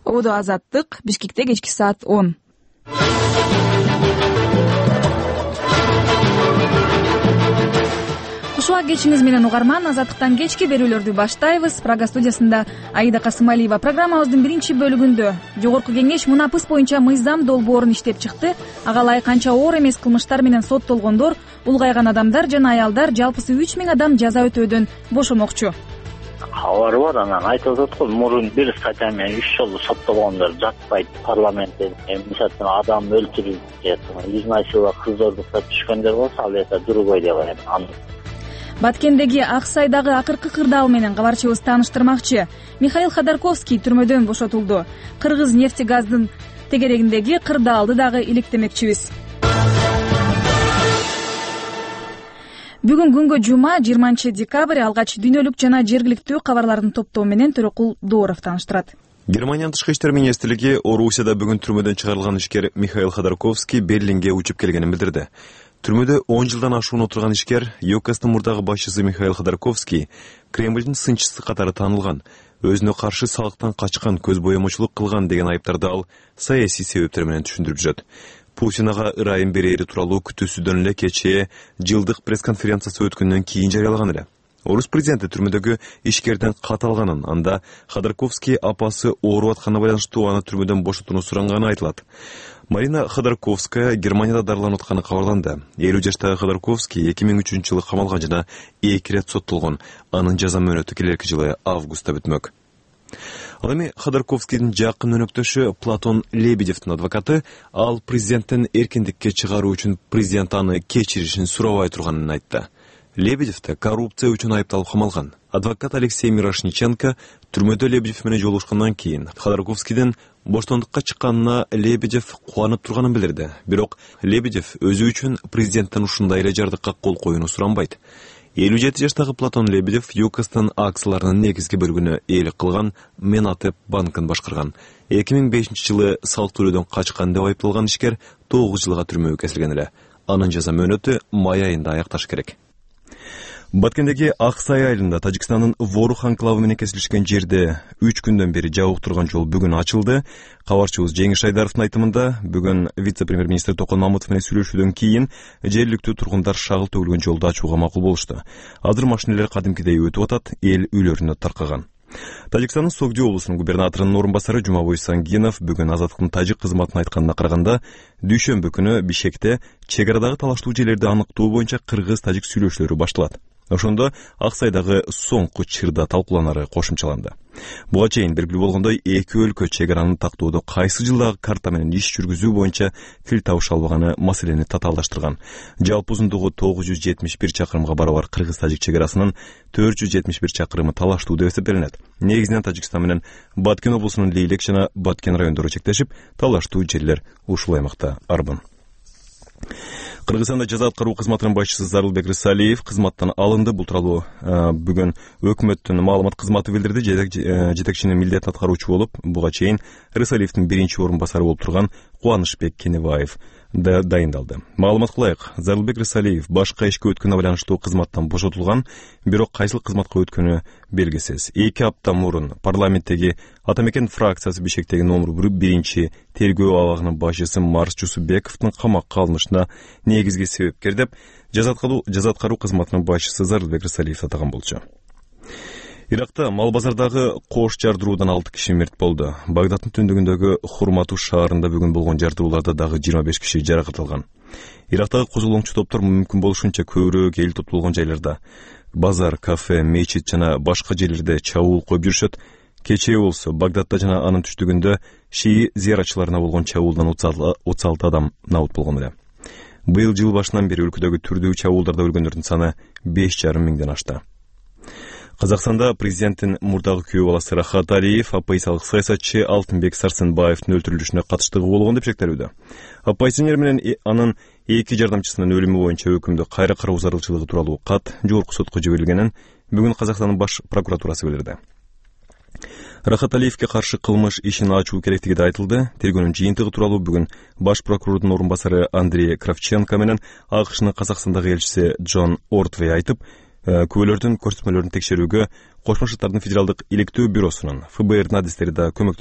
Ободо Азаттык, Бишкекте кечки саат 10. Кушуа кечиңиз менен угарман, Азаттыктан кечки берүүлөрдү баштайбыз. Прага студиясында Аида Касымалиева. Программабыздын биринчи бөлүгүндө Жогорку кеңеш мунапыс боюнча мыйзам долбоорун иштеп чыкты. Ага ылайык канча оор эмес кылмыштар менен соттолгондор, улгайган адамдар жана аялдар жалпысы 3000 адам жаза өтөөдөн бошомокчу. Кабары бар, анан айтып атат го, мурун бир статья менен 3 жолу соттолгондор жатпайт парламентте. Мисалы адам өлтүрүп же изнасилова, кыз ордуктап түшкөндөр болсо, ал эсе другой деп атат. Баткендеги Ак Сайдагы акыркы кырдаал менен кабарчыбыз тааныштырмакчы. Михаил Ходорковский түрмөдөн бошотулду. Кыргыз нефтегаздын тегерегиндеги кырдаалды дагы иликтемекчибиз. Бүгүн күнгө жума 20 декабрь, алгач дүйнөлүк жана жергиликтүү кабарлардын топтоо менен Төрөкул Дооров тааныштырат. Германиянын тышкы иштер министрлиги Орусияда бүгүн түрмөдөн чыгарылган ишкер Михаил Ходорковский Берлинге учуп келгенин билдирди. Түрмөдө 10 жылдан ашуун отурган ишкер ЮКСтын мурдагы башчысы Михаил Ходорковский Кремлдин сынчысы катары таанылган. Өзүнө каршы салыктан качкан, көз боемочулук кылган деген айыптарды ал саясий себептер менен түшүндүрүп жүрөт. Путин ага ырайым берери тууралуу күтүүсүдөн эле кечээ жылдык пресс-конференциясы өткөндөн кийин жарыялаган эле. Орус президенти түрмөдөгү ишкерден кат алганын, анда Ходорковский апасы ооруп атканына байланыштуу аны түрмөдөн бошотууну суранганы айтылат. Марина Ходорковская Германияда дарыланып атканы кабарланды. 50 жаштагы Ходорковский 2003-жылы камалган жана 2 ирет соттолгон. Анын жаза мөөнөтү келерки жылы августта бүтмөк. Ал эми Ходорковскийдин жакын өнөктөшү Платон Лебедевдин адвокаты ал президенттен эркиндикке чыгаруу үчүн президент аны кечиришин сурабай турганын айтты. Лебедев коррупция үчүн айыпталып камалган. Адвокат Алексей Мирошниченко түрмөдө Лебедев менен жолугушкандан кийин Ходорковскийдин боштондукка чыкканына Лебедев кубанып турганын билдирди. Бирок Лебедев өзү үчүн президенттен ушундай эле жардыкка кол коюуну суранбайт. 57 жаштагы Платон Лебедев ЮКСтын акцияларынын негизги бөлүгүнө ээлик кылган Менатеп банкын башкарган. 2005-жылы салык төлөөдөн качкан деп айыпталган ишкер 9 жылга түрмөгө кесилген эле. Анын жаза мөөнөтү май айында аякташ керек. Баткендеги Ак Сай айылында Тажикстандын Ворух анклавы менен кесилишкен жерде 3 күндөн бери жабык турган жол бүгүн ачылды. Кабарчыбыз Жеңиш Айдаровдун айтымында, бүгүн вице-премьер-министр Токон Мамутов менен сүйлөшүүдөн кийин жергиликтүү тургундар шагыл төгүлгөн жолду ачууга макул болушту. Азыр машиналар кадимкидей өтүп атат, эл үйлөрүнө таркаган. Тажикстандын Согди облусунун губернаторунун орун басары Жумабой Сангинов бүгүн Азаттыктын тажик кызматына айтканына караганда, дүйшөмбү күнү Бишкекте чек арадагы талаштуу жерлерди аныктоо боюнча кыргыз-тажик сүйлөшүүлөрү башталат. Ошондо Ак Сайдагы соңку чырда талкууланары кошумчаланды. Буга чейин белгилүү болгондой, эки өлкө чек араны тактоодо кайсы жылдагы карта менен иш жүргүзүү боюнча тил табыша албаганы маселени татаалдаштырган. Жалпы узундугу 971 чакырымга барабар кыргыз-тажик чек арасынын 471 чакырымы талаштуу деп эсептелинет. Негизинен Тажикстан менен Баткен облусунун Лейлек жана Баткен райондору чектешип, талаштуу жерлер ушул аймакта арбын. Кыргызстанда жаза аткаруу кызматынын башчысы Зарылбек Рысалиев кызматтан алынды. Бул тууралуу бүгүн өкмөттүн маалымат кызматы билдирди. Жетекчинин милдетин аткаруучу болуп, буга чейин Рысалиевдин биринчи орун басары болуп турган Кубанычбек Кенебаев дайындалды. Маалыматка ылайык, Зарылбек Рысалиев башка ишке өткөнүнө байланыштуу кызматтан бошотулган, бирок кайсыл кызматка өткөнү белгисиз. 2 апта мурун парламенттеги Атамекен фракциясы Бишкектеги номер 1 тергөө абагынын башчысы Марс Жусупбековдун камакка алынышына негизги себепкер деп жаза аткаруу кызматынын башчысы Зарылбек Рысалиев атаган болчу. Иракта Малбазардагы кош жардыруудан 6 киши мерт болду. Багдаддын түндүгүндөгү Хурмату шаарында бүгүн болгон жардырууларда дагы 25 киши жаракат алган. Ирактагы козулоңчу топтор мүмкүн болушунча көбүрөөк эл топтолгон жайларда, базар, кафе, мечит жана башка жерлерде чабуул коюп жүрүшөт. Кечээ болсо Багдадда жана анын түштүгүндө шии зыяратчыларына болгон чабуулдан 36 адам набыт болгон эле. Быйыл жыл башынан бери өлкөдөгү түрдүү чабуулдарда өлгөндөрдүн саны 5,5 миңден ашты. Казакстанда президенттин мурдагы күйөө баласы Рахат Алиев оппозициялык саясатчы Алтынбек Сарсенбаевдин өлтүрүлүшүнө катыштыгы болгон деп шектелүүдө. Оппозиционер менен анын 2 жардамчысынын өлүмү боюнча өкүмдү кайра кароо зарылчылыгы тууралуу кат жогорку сотко жиберилгенин бүгүн Казакстандын баш прокуратурасы билдирди. Рахат Алиевке каршы кылмыш ишин ачуу керектиги да айтылды. Тергөөнүн жыйынтыгы тууралуу бүгүн баш прокурордун орун басары Андрей Кравченко менен АКШнын Казакстандагы элчиси Джон Ортвей айтып, күбөлөрдүн көрсөтмөлөрүн текшерүүгө Кошмо Шаттардын федералдык иликтөө бюросунун ФБР адистери да көмөк